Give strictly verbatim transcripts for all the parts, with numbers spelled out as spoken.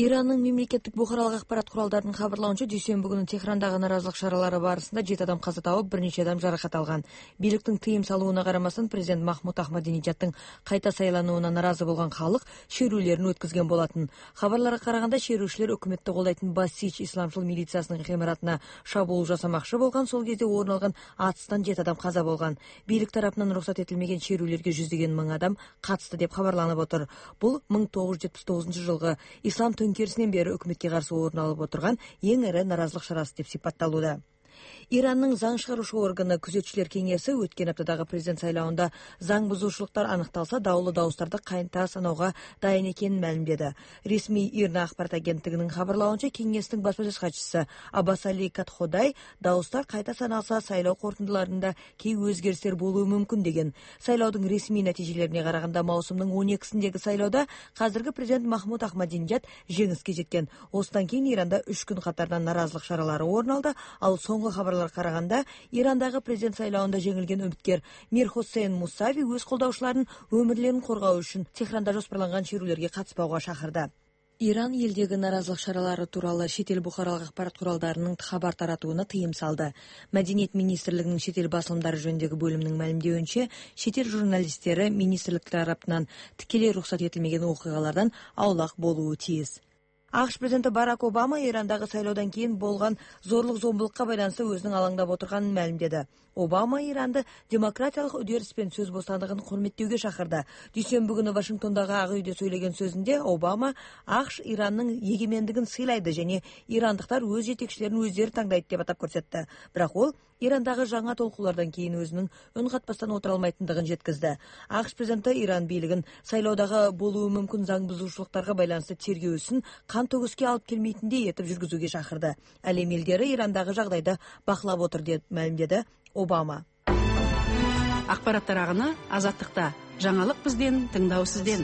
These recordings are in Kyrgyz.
Иранның мемлекеттик бухаралык акпарат куралдарынын кабарлауынча, дүйшөмбү күнү Техрандагы наразылык чаралары барысында жети адам каза табып, бир нече адам жаракат алган. Бийликтин тыйым салууна карамастан президент Махмуд Ахмадинежаддын кайта сайланууна наразы болгон халык шерүүлөрүн өткөзгөн болотун. Кабарларга караганда, шерүүчүлөр өкмөттү колдойтун Басич исламчыл милициясынын гимаратына шабуул жасамакчы болгон. Сол кезде орун алган атыстан жети адам каза болгон. Бийлик тарапынан уруксат этилмеген шерүүлөргө жүздөгөн миң адам катышты деп кабарланып отур. Бул миң тогуз жүз жетимиш тогузунчу жылгы ислам төңкерисинен бери өкмөткө каршы орун алып отурган эң ири наразылык чарасы деп сипатталууда. Иранның заң чыгаруучу органы Күзөтчүлөр кеңеси өткөн аптадагы президент сайлауында заң бузуучулуктар аныкталса, даулуу дауыстарды кайта саноого дайын экенин маалимдеди. Ресми Ирна акпарат агенттигинин кабарлауынча, кеңестин басма сөз катчысы Аббас Али Катходай дауыстар кайта саналса, сайлоо корутундуларында кей өзгөрүштөр болуу мүмкүн деген. Сайлоодун ресми натыйжелерине караганда, маусумдун он экисиндеги сайлоодо казыркы президент Махмуд Ахмадинежад жеңиске жеткен. Осудан кийин Иранда үч күн катарынан наразылык чаралары орун алды. Ал соңку кабарларга караганда, Ирандагы президент сайлауында жеңилген үмүткер Мир Хосейн Мусави өз колдоочуларынын өмүрлөрүн коргоо үчүн Техранда жоспарланган шерүүлөргө катыспауга чакырды. Иран элдеги наразылык чаралары тууралуу чет эл бухаралык акпарат куралдарынын кабар таратууна тыйым салды. Маданият министрлигинин чет эл басылымдары жөнүндөгү бөлүмүнүн маалимдеуинче, чет эл журналисттери министрлик тарапынан тикелей уруксат этилмеген окуялардан аулак болуу тийиз. АКШ президенти Барак Обама Ирандагы сайлоодон кийин болгон зорлук зомбулукка байланыштуу өзүнүн алаңдап отурганын маалимдеди. Обама Иранды демократиялык үдериш менен сөз бостандыгын урматтөөгө чакырды. Дүйшөмбү күнү Вашингтондагы Ак үйдө сөйлөгөн сөзүндө Обама АКШ Иранның эгемендигин сыйлайды жана ирандыктар өз жетекчилерин өздөрү таңдайт деп атап көрсөттү. Бирок ол Ирандагы жаңа толкуулардан кийин өзүнүн өн катпастан отура алмайтындыгын жеткизди. АКШ президенти Иран бийлигин сайлоодагы болуу мүмкүн заң бузуучулуктарга байланыштуу тергөөсүн кан төгүскө алып келмейтиндей этип жүргүзүүгө чакырды. Ал эми элдери Ирандагы жагдайды бакылап отур деп маалимдеди Обама. Акпарат тараганы Азаттыкта. Жаңылык бизден, тыңдоо сизден.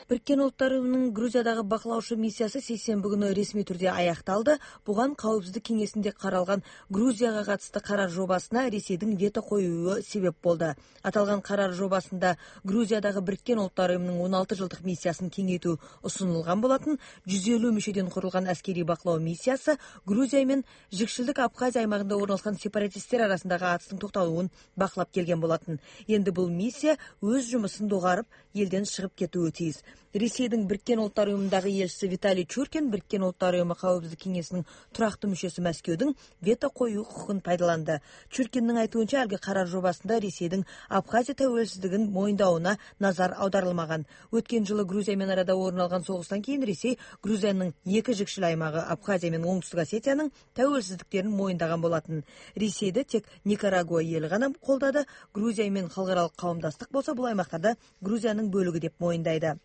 Бириккен Улуттар уюмунун Грузиядагы бакылаучу миссиясы сейсенби күнү ресми түрдө аякталды. Буга Коопсуздук кеңесинде каралган Грузияга катысты карар жобасына Ресейдин вето коюу себеп болду. Аталган карар жобасында Грузиядагы Бириккен Улуттар уюмунун он алты жылдык миссиясын кеңейтүү сунулган болотун. жүз элүү мүчөдөн курулган аскерий бакылоо миссиясы Грузия менен Жыкшылдык Абхазия аймагында орналашкан сепаратисттер арасындагы атыштын токтолуун бакылап келген болотун. Энди бул миссия өз жумушун догарып, элден чыгып кетүүгө тийиз. Ресейдин Бириккен Улуттар уюмундагы элчиси Виталий Чуркин Бириккен Улуттар уюму Коопсуздук кеңесинин турактуу мүчөсү Москвдун вето коюу укугун пайдаланды. Чуркиндин айтуунча, алги карар жобасында Ресейдин Абхазия тәуелсиздигин моюндауна назар аударылмаган. Өткөн жылы Грузия менен арада орун алган согуштан кийин Ресей Грузиянын эки жыкшыл аймагы Абхазия менен Оңтүстүк Осетиянын тәуелсиздиктерин моюндаган болотун. Ресейди тек Никарагуа эл гана колдоду. Грузия менен халыкаралык кавымдастык болсо бул аймактарда Грузиянын бөлүгү деп моюндайды.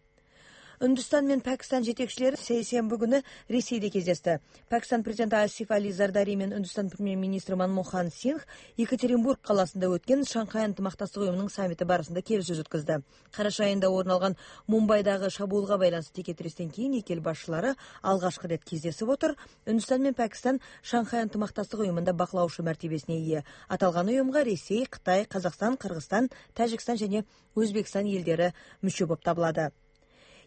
Үндүстан менен Пакистан жетекчилери сейсенби күнү Ресейде кездешти. Пакистан президенти Асиф Али Зардари менен Үндүстан премьер-министри Манмохан Сингх Екатеринбург каласында өткөн Шанхай ынтымактастык уюмунун саммити барысында келишүү өткөздү. Караш айында орун алган Мумбайдагы шабуулга байланыштуу текетирестен кийин эки эл башчылары алгачкы рет кездешип отур. Үндүстан менен Пакистан Шанхай ынтымактастык уюмунда бакылаучу мартебесине ээ. Аталган уюмга Ресей, Кытай, Казакстан, Кыргызстан, Тажикстан жана Өзбекстан элдери мүчө болуп табылады.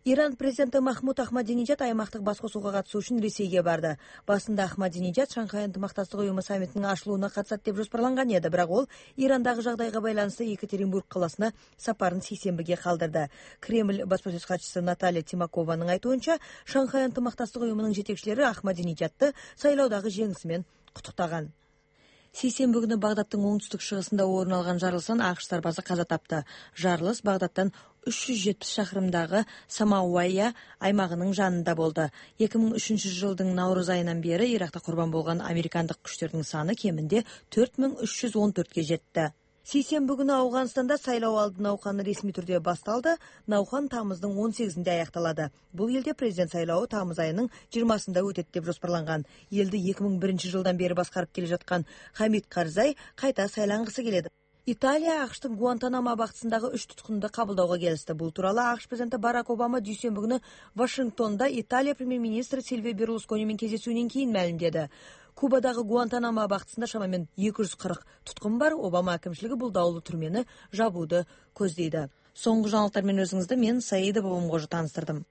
Иран президенти Махмуд Ахмадинежад аймактык баскосууга катышуу үчүн Ресейге барды. Басында Ахмадинежад Шанхай ынтымактастык уюму саммитинин ачылууна катышат деп жоспарланган эди, бирок ол Ирандагы жагдайга байланыштуу Екатеринбург каласына сапарын сейсенбиге калдырды. Кремль басма сөз катчысы Наталья Тимакованын айтуунча, Шанхай ынтымактастык уюмунун жетекчилери Ахмадинежадты сайлоодагы жеңиси менен куттуктаган. Сейсенби күнү Багдадтын оңтүстүк чыгысында орун алган жарылыштан АКШ сарбазы каза тапты. Жарылыш Багдадтан үч жүз жетимиш шакырымдагы Самауайя аймагынын жанында болду. эки миң үчүнчү жылдын Наурыз айынан бери Иракта курбан болгон американдык күчтөрдүн саны кеминде төрт миң үч жүз он төрткө жетти. Сейсенби күнү Афганстанда сайлоо алды науканы ресми түрдө башталды. Науқан тамыздын он сегизинде аякталады. Бул элде президент сайлоого тамыз айынын жыйырмасында өтөт деп жоспарланган. Элди эки миң биринчи жылдан бери башкарып келе жаткан Хамид Карзай кайта сайлангысы келет. Италия АКШтын Гуантанамо абактысындагы үч туткунду кабылдоого келишти. Бул тууралуу АКШ президенти Барак Обама дүйшөмбү күнү Вашингтонда Италия премьер-министри Сильвио Берлускони менен кездесүүнөн кийин маалимдеди. Кубадагы Гуантанамо абактысында шамамен эки жүз кырк туткун бар. Обама акимчилиги бул даулуу түрмени жабууду көздөйдү. Соңку жаңылыктар менен өзүңүздү мен Саида Бабамгожу тааныстырдым.